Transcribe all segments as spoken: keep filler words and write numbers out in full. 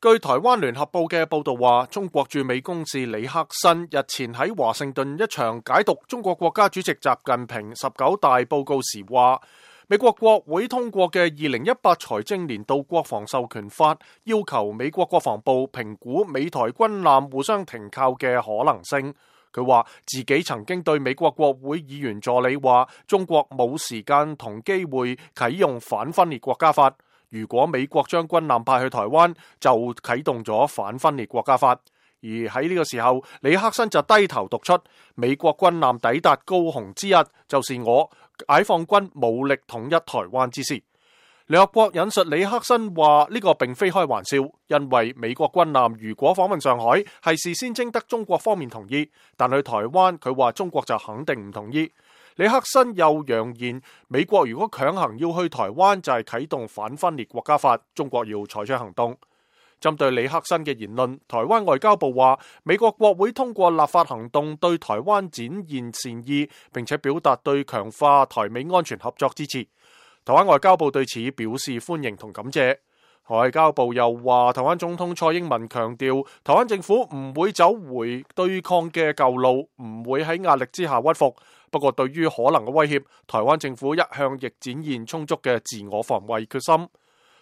據台灣聯合報嘅報道話，中國駐美公使李克新日前喺華盛頓一場解讀中國國家主席習近平十九大報告時話，美國國會通過嘅二零一八財政年度國防授權法要求美國國防部評估美台軍艦互相停靠嘅可能性。佢話自己曾經對美國國會議員助理話，中國冇時間同機會啟用反分裂國家法。如果美國將軍艦派去台灣，就啟動咗反分裂國家法。而喺呢個時候，李克新就低頭讀出美國軍艦抵達高雄之日，就是我解放軍武力統一台灣之時。聯合國引述李克新話，呢個並非開玩笑，因為美國軍艦如果訪問上海，係事先徵得中國方面同意，但去台灣，佢話中國就肯定唔同意。李克新又揚言，美國如果強行要去台灣，就係啟動反分裂國家法，中國要採取行動。針對李克新嘅言論，台灣外交部話，美國國會通過立法行動對台灣展現善意，並且表達對強化台美安全合作支持。台灣外交部對此表示歡迎同感謝。外交部又話，台灣總統蔡英文強調，台灣政府唔會走回對抗嘅舊路，唔會喺壓力之下屈服。不過對於可能嘅威脅，台灣政府一向亦展現充足嘅自我防衛決心。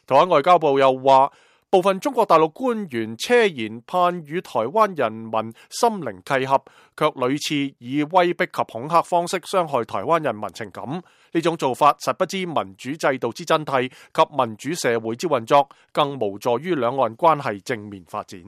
台灣外交部又話，部分中國大陸官員奢言盼與台灣人民心靈契合，卻屢次以威逼及恐嚇方式傷害台灣人民情感。呢種做法實不知民主制度之真諦及民主社會之運作，更無助於兩岸關係正面發展。